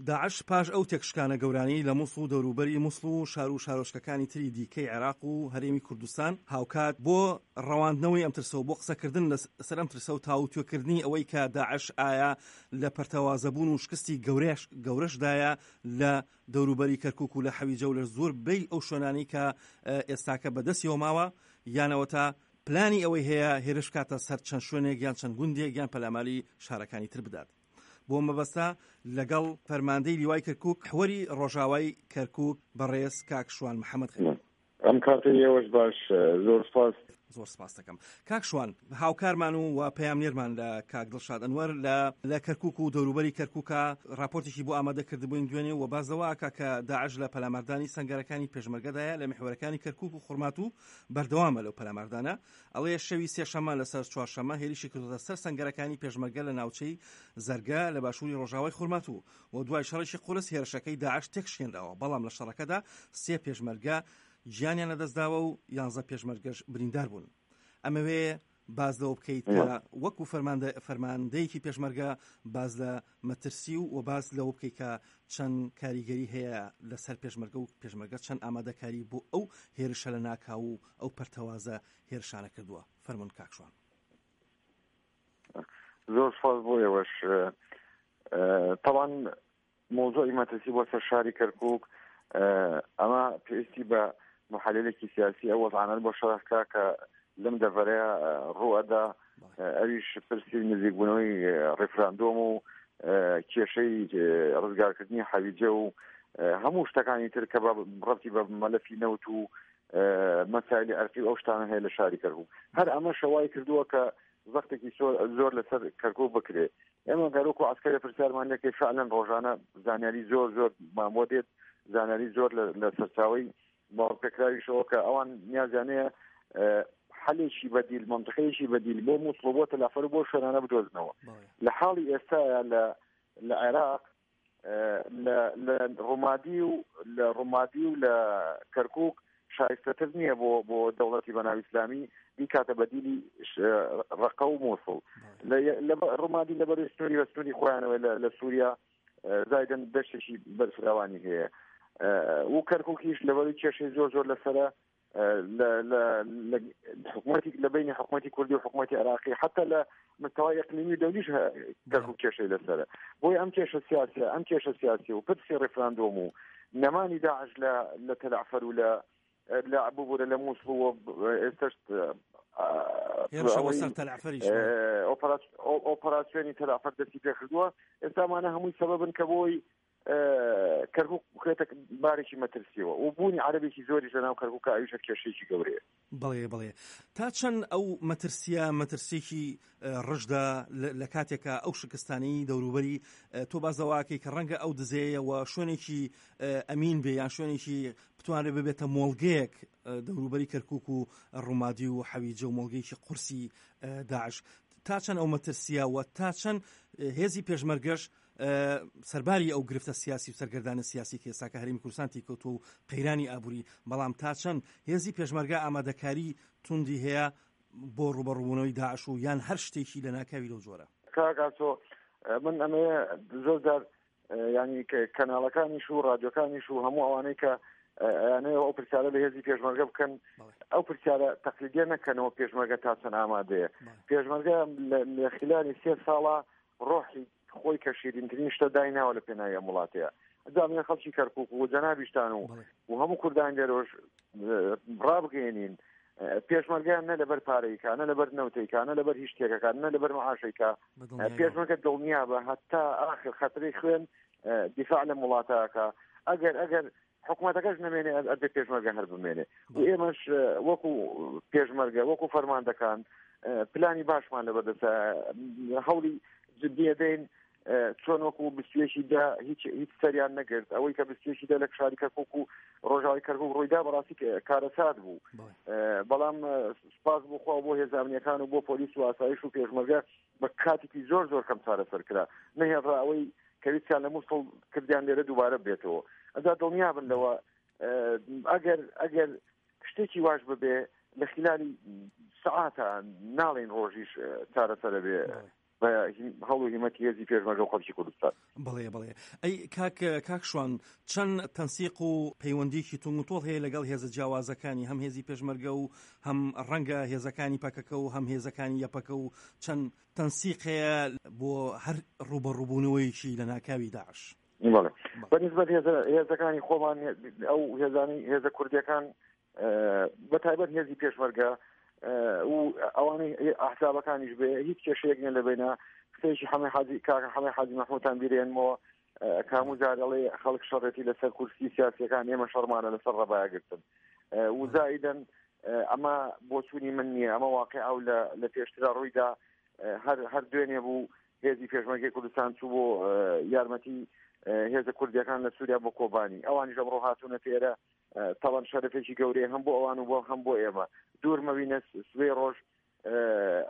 داعش پاش ئەو تێکشکانە گەورانەی لە موسڵ و دەوروبەری موسڵ و شار و شارۆچکەکانی تری دیکەی عێراق و هەرێمی کوردستان، هاوکات بۆ ڕەواندنەوەی ئەم ترسە و بۆ قسەکردن لەسەر ئەم ترسە و تاووتوێکردنی ئەوەی کە داعش ئایا لە پەرتەوازەبوون و شکستی گەورەشدایە لە دەوروبەری کەرکوک و لە حەویجە و لە زۆربەی ئەو شوێنانەی کە ئێستاکە بەدەستیەوە ماوە یان ئەوەتا پلانی ئەوەی هەیە هێرش بکاتە سەر چەند شوێنێک یان چەند گوندێک یان پەلاماری شارەکانی تر بدات. بۆ مەبەستە لەگەڵ فەرماندەی لیوای کەرکوک حوەری ڕۆژاوای کەرکوک بەڕێز کاک شوان محەمەد خەلیل. ئەم کاتەی ئێوەش باش زۆر سپاس. زۆر سپاست دەکەم کاک شوان. هاوکارمان و و پەیامنێرمان لە کاک دڵشاد ئەنوەر لە لە کەرکوک و دەوروبەری کەرکوکا ڕاپۆرتێکی بۆ ئامادە کردبووین دوێنێ و باس لەوە ئەکا کە داعش لە پەلاماردانی سەنگەرەکانی پێشمەرگەدایە لە میحوەرەکانی کەرکوک و خورماتوو بەردەوامە لەو پەلاماردانە. ئەڵێ شەوی سێشەممە لەسەر چوارشەممە هێریشی کردۆتە سەر سەنگەرەکانی پێشمەرگە لە ناوچەی زەرگە لە باشووری ڕۆژاوای خورماتوو و دوای شەڕێکی قورس هێرشەکەی داعش تێکشکێنراوە، بەڵام لە شەڕەکەدا سێ پێشمەرگە گیانیان لەدەستداوە و یانزە پێشمەرگەش بریندار بوون. ئەمەوێ باس لەوە بکەیت کە وەکو فەرماندە فەرماندەیەکی پێشمەرگە باس لە مەترسی و و باس لەوە بکەیت کە چەند کاریگەری هەیە لەسەر پێشمەرگە و پێشمەرگە چەند ئامادەکاری بۆ ئەو هێرشە لە ناکاو و ئەو پەرتەوازە هێرشانە کردووە فەرمونون کاک شوان. زۆر سپاس بۆ ئێوەش. تەوان مەوزوعی مەترسی بۆ سەر شاری کەرکووک ئەمە پێویستی بە محللێکی سیاسی ئەو وەزعانە بۆ شەرح کا کە لەم دەڤەرەیە ڕوئەدا ئەویش پرسی نزیکبوونەوەی ڕیفراندۆم و کێشەی ڕزگارکردنی حەویجە و هەموو شتەکانی تر کە بە ڕەتی بە مەلەفی نەوت و مەسایلی ئەرقی و ئەو شتانە هەیە لە شاری کەرکووک هەر ئەمە شەوای کردووە کە زەختێکی زۆر لەسەر کەرکوک بکرێ ئێمە گەر وەکو عەسکەرێ پرسیارمان لێکەی فعلەن ڕۆژانە زانیاری زۆر زۆر مان بۆ دێت زانیاری زۆر لە سەرچاوەی باوەڕپێکراویشەوە کە ئەوان نیازیانەیە حەلێکی بەدیل منطقەیەکی بەدیل بۆ مووسڵ و بۆ تەلافەر و بۆ شوێنانە بدۆزنەوە لە حاڵی ئێستاە لە لە عێراق لە ڕومادی و لە ڕومادی و لە کەرکک شایستەتر نییە بۆ بۆ دەوڵەتی بەناو ئیسلامی بیکاتە بەدیلی ڕقە و مووسڵ لە ڕومادی لەبەر سنووری بە سنووری خۆیانەوە لە سووریا زایدن دەشتێکی بەرفراوانی هەیە و کەرککیش لەبەری کێشەی زۆر زۆر لەسرە لە حکوومەتی لە بینی حکوومەتی کوردی و حکوومەتی عراقی حتا لە مستەوای ئەقلیمی دەولیش کەرکوک کێشەی لەسەرە بۆی ئەم کێشە سیاسە ئەم کێشە سیاسی و پرسی ڕیفراندۆم و نەمانی داعش لە لە تەلعفەر و لە لە ببوورە لە مووسڵ و ئێستش ئۆپەراسیۆنی تەلعفەر دەستی پێکردووە ئێستامانە هەمووی سەبەبن کە بۆی کەرکوک بخرێتە بارێکی مەترسیەوە و بوونی عەرەبێکی زۆریش لەناو کەرکوکا ئەویش هەر کێشەیەکی گەورەیە. بەڵێ بەڵێ تا چەند ئەو مەترسیە مەترسیەکی ڕژدە لە کاتێکا ئەو شکستانەی دەوروبەری تۆ باس لەوە ئەکەی کە ڕەنگە ئەو دزەیە و شوێنێکی ئەمین بێ یان شوێنێکی بتوانرێت ببێتە مۆڵگەیەک دەوروبەری کەرکک و ڕوومادی و حەویجە و مۆڵگەیەکی قورسی داعش تا چەند ئەو مەترسیە و تا چەند هێزی پێشمەرگەش سەرباری ئەو گرفتە سیاسی و سەرگەردانە سیاسی کە ئێستاکە هەرێمی کوردستان تێیکەوتووە و قەیرانی ئابووری، بەڵام تا چەند هێزی پێشمەرگە ئامادەکاری توندی هەیە بۆ ڕووبەڕووبوونەوەی داعش و یان هەر شتێکی لەناکاوی لەو جۆرە؟ کاک ئاسۆ من ئەمەیە زۆر جار ینی کەناڵەکانیش و ڕادیۆکانیش و هەموو ئەوانەی کە ئەیانەوە ئەو پرسیارە لە هێزی پێشمەرگە بکەن ئەو پرسیارە تەقلیدیە نەکەنەوە پێشمەرگە تا چەند ئامادەیە پێشمەرگە لە خلانی سێ ساڵە ڕۆحی خۆی کە شیرینترین شتە دایناوە لە پێناوی ئەم وڵاتەیە جا من خەڵکی کەرکک و جەنابیشتان و و هەموو کوردان لێرۆش ڕابگەێنین پێشمەرگیان نە لەبەر پارەیکە نە لەبەر نەوتەیکە نە لەبەر هیچ شتێکەکان نە لەبەر معاشێکە پێشمەرگە دڵنیا بە هەتا ئاخر خەترەی خوێن دیفاع لە وڵاتەکە ئەگەر ئەگەر حکومەتەکەش نەمێنێ ئەبێ پێشمەرگە هەر بمێنێ و ئێمەش وەکو پێشمەرگە وەکو فەرماندەکان پلانی باشمان لەبەردەستە هەوڵی جدیە دەین چۆن وەکو بستێکی دا هیچ هیچ سەریان نەگرت ئەوەی کە بستێکی دا لە شاری کەرکک و ڕۆژاوی کەرکک ڕوویدا بەڕاستی کارەسات بوو بەڵام سپاس بۆ خوا بۆ هێزامنیەکان و بۆ پۆلیس و ئاسایش و پێشمەرگە بە کاتێکی زۆر زۆر کەم چارەسەر کرا نەهێڵرا ئەوەی کە ویستیان لە مووسڵ کردیان لێرە دووبارە بێتەوە ئەجا دڵنیا بن لەوە ئەگەر ئەگەر شتێکی واش ببێ لە خلالی سەعاتە ناڵین ڕۆژیش چارەسەرە بێ. بە هەوڵ و هیمەتی هێزی پێشمەرگە و خەڵکی کوردستان. بەڵێ بەڵێ ئەی کاک کاک شوان چەند تەنسیق و پەیوەندیکی تونگ و تۆڵ هەیە لەگەڵ هێزە جیاوازەکانی هەم هێزی پێشمەرگە و هەم ڕەنگە هێزەکانی پەکەکە و هەم هێزەکانی یەپەکە و چەند تەنسیق هەیە بۆ هەر ڕووبەڕووبوونەوەیەکی لەناکاوی داعش؟ بەڵێ بە نسبەت هێزەکانی خۆمان ئەو هێزانەی هێزە کوردیەکان بە تایبەت هێزی پێشمەرگە و ئەوانەی ئەحزابەکانیش بێ هیچ کێشەیەک نیە لە بینە قسەیەکی حەمەی حاجی کاکە حەمەی حاجی مەحموودتان بیرێنمەوە کامو جارەڵێ خەڵک شەڕێتی لەسەر کورسی سیاسیەکان ئێمە شەڕمانە لەسەر ڕەبایەگرتن و زائیدەن ئەمە بۆچوونی من نییە ئەمە واقع ئەو لە پێشترا ڕوویدا هەر هەر دوێنێ بوو هێزی پێشمەرگەی کوردستان چوو بۆ یارمەتی هێزە کوردیەکان لە سووریا بۆ کۆبانی ئەوانیش ئەمڕۆ هاتوونە تێرە تاوان شەرفێکی گەورەیە هەم بۆ ئەوان و بۆ هەم بۆ ئێمە دوور مەوینە سبەی ڕۆژ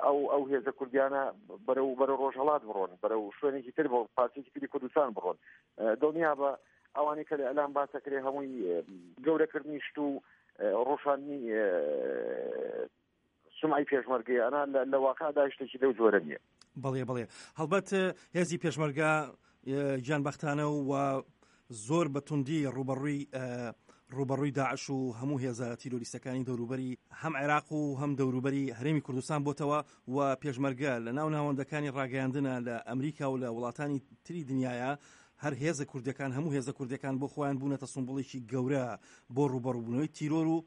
ئەو ئەو هێزە کوردیانە بەرەو بەرە ڕۆژهڵات بڕۆن بەرەو شوێنێکی تر بۆ پارچێکی تری کوردستان بڕۆن دڵنیا بە ئەوانەی کە لە ئەلام باسەکرێ هەمووی گەورەکردنی شت و ڕۆشانی سمعی پێشمەرگەیە ئەنا لە واقعدا شتێکی لەو جۆرە نییە. بەڵێ بەڵێ هەڵبەت هێزی پێشمەرگە گیانبەختانە و زۆر بە توندی ڕوبەڕووی ڕوبەڕووی داعش و هەموو هێزە تیرۆریستەکانی دەوروبەری هەم عێراق و هەم دەوروبەری هەرێمی کوردستان بۆتەوە و پێشمەرگە لە ناو ناوەندەکانی ڕاگەیاندنە لە ئەمریکا و لە وڵاتانی تری دنیاە هەر هێزە کوردەکان هەموو هێزە کوردەکان بۆ خۆیان بوونەتە سمبوڵێکی گەورە بۆ ڕوبەڕوبوونەوەی تیرۆر و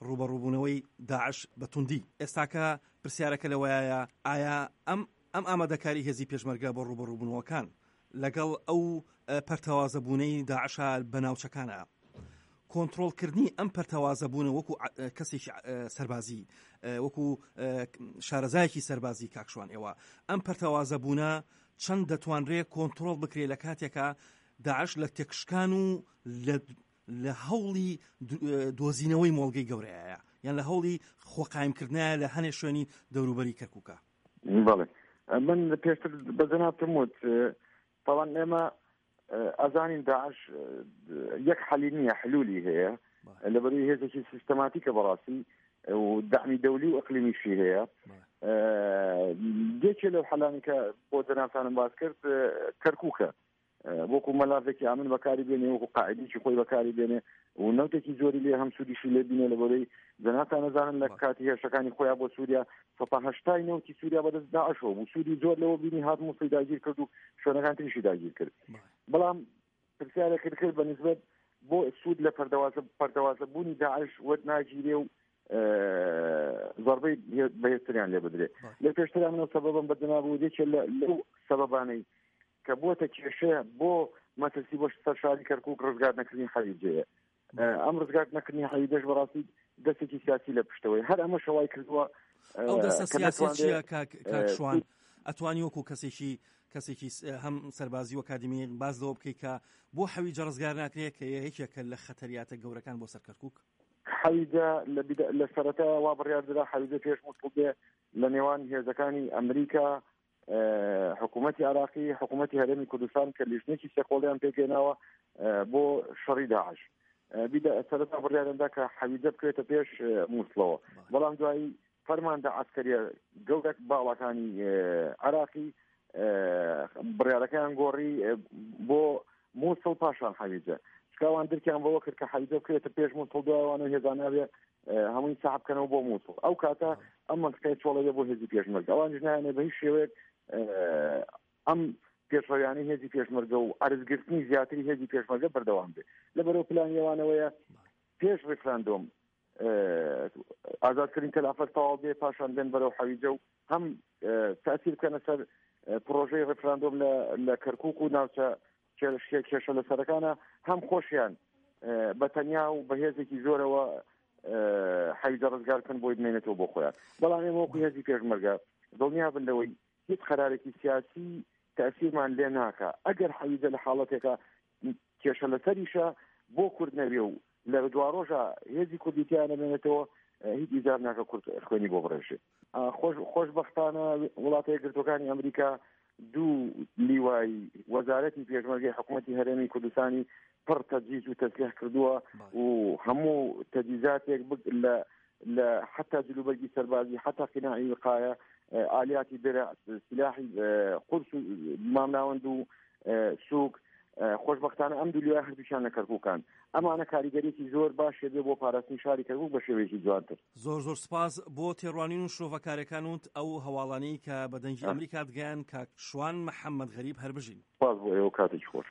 ڕووبەڕووبوونەوەی داعش بە توندی. ئێستاکە پرسیارەکە لەوەیایە ئایا ئەم ئەم ئامادەکاری هێزی پێشمەرگە بۆ ڕووبەڕووبوونەوەکان لەگەڵ ئەو پەرتەوازەبوونەی داعشە بە ناوچەکانە کۆنتڕۆڵکردنی ئەم پەرتەوازەبوونە وەکو کەسێکی سەربازی وەکو شارەزایەکی سەربازی کاک شوان ئێوە ئەم پەرتەوازەبوونە چەند دەتوانرێت کۆنتڕۆڵ بکرێت لە کاتێکا داعش لە تێکشکان و لە لە هەوڵی دۆزینەوەی مۆڵگەی گەورەیە یان لە هەوڵی خۆقایمکردنایە لە هەنێ شوێنی دەوروبەری کەرکووکە. بەڵێ من پێشتر بە جەنابتم وت تاوان ئێمە ئەزانین داعش یەک حەلی نییە حلولی هەیە لەبەروی هێزێکی سیستەماتیکە بەڕاستی و دەعمی دەولی و ئەقلیمیشی هەیە یەکێ لەو حەلانی کە بۆ جەنابتانم باس کرد کەرکووکە وەکو مەلافێکی ئامن بەکاری بێنێ وەکو قاعدێکی خۆی بەکاری بێنێ و نەوتێکی زۆری لێ هەم سوودیشی لێ بینێ لە بەرەی جەنابتان نەزانن لە کاتی هێرشەکانی خۆیان بۆ سووریا 180 نەوتی سووریا بەدەست داعشەوە بوو سوودی زۆر لەوە بینی هات مووسڵی داگیر کرد و شوێنەکان تریشی داگیر کرد بەڵام پرسیارێکت کرد بە نسبەت بۆ سوود لە پەردەوازە پەردەوازە بوونی داعش وەرد ناگیرێ و زەربەی بەهێزتریان لێ بدرێ لە پێشترا منەوە سەبەبم بە جەناب و یەکێ لەو سەبەبانەی کە بووەتە کێشە بۆ مەترسی بۆ سەر شاری کەرکوک ڕزگار نەکردنی حەویجەیە ئەم ڕزگار نەکردنی حەویجەش بەڕاستی دەستێکی سیاسی لە پشتەوەی هەر ئەمە شەوای کردووە ئەو دەستە سیاسی چییە کاک شوان ئەتوانی وەکو کەسێکی کەسێکی هەم سەربازی و ئەکادیمی باز لەوە بکەیت کە بۆ حەویجە ڕزگار ناکرێت کە یەکێکە لە خەتەریاتە گەورەکان بۆ سەر کەرکوک؟ حەویجە لە سەرەتا وا بڕیار درا حەویجە پێش موسڵ بێ لە نێوان هێزەکانی ئەمریکا حکوومەتی عراقی حکوومەتی هەرێمی کوردستان کە لیژنێکی سێقۆڵیان پێکێناوە بۆ شەڕی داعش بیدە سەرەتا بڕیارندا کە حەویجە بکرێتە پێش مووسڵەوە بەڵام دوایی فەرماندە عسکەریە گەورەک باڵاکانی عراقی بڕیارەکەیان گۆڕی بۆ مووسڵ پاشان حەویجە چکاوان درکیان بەوە کرد کە حەویجە بکرێتە پێش مووسڵ دوایوانە هێزاناوێ هەمووی سەحب بکەنەوە بۆ مووسڵ ئەو کاتە ئەم منطقەیە چۆڵەوێ بۆ هێزی پێشمەرگە ئەوانیش نایانێ بە هیچ شێوەیەک ئەم پێشڕەویانەی هێزی پێشمەرگە و عەرزگرتنی زیاتری هێزی پێشمەرگە بەردەوام بێ لەبەرەوە پلانی ئەوانەوەیە پێش ڕیفراندۆم ئازادکردنی تەلافەر تەواو بێ پاشان بێن بەرەو حەویجە و هەم تاثیر بکەنە سەر پرۆژەی ڕیفراندۆم لە کەرکک و ناوچە کێشە لەسەرەکانە هەم خۆشیان بە تەنیا و بە هێزێکی زۆرەوە حەویجە ڕزگار بکەن بۆی بمێنێتەوە بۆ خۆیان بەڵام ئێمە وەکو هێزی پێشمەرگە دڵنیا بن لەوەی هیچ قەرارێکی سیاسی تەسیرمان لێ ناکا ئەگەر حەویجە لە حاڵەتێکە کێشە لەسەریشە بۆ کورد نەبێ و لە دواڕۆژە هێزی کوردی تیا نەمێنێتەوە هیچ ئیجاب ناکە کورد خوێنی بۆ بڕێژێ خۆش خۆشبەختانە وڵاتە یەکگرتووەکانی ئەمریکا دوو لیوای وەزارەتی پێشمەرگەی حکوومەتی هەرێمی کوردستانی پڕ تەجیز و تەسلیح کردووە و هەموو تەجیزاتێک لە لە حتا جلوبەرگی سەربازی حتا قیناعی وقایە. ئالیاتی درع، سیلاحی قورس و مامناوەند و سووک. خۆشبەختانە ئەم دوو لیوای هەردووکیان لە کەرکووکان. ئەمانە کاریگەریەکی زۆر باشی بێ بۆ پاراستنی شاری کەرکووک بە شێوەیەکی جوانتر. زۆر زۆر سپاس بۆ تێڕوانین و شرۆڤەکارەکانوت ئەو هەواڵانەی کە بە دەنگی ئەمریکات گەیاند کاک شوان محەمەد غەریب هەر بژین. سپاس بۆ ئێوە کاتێکی خۆش.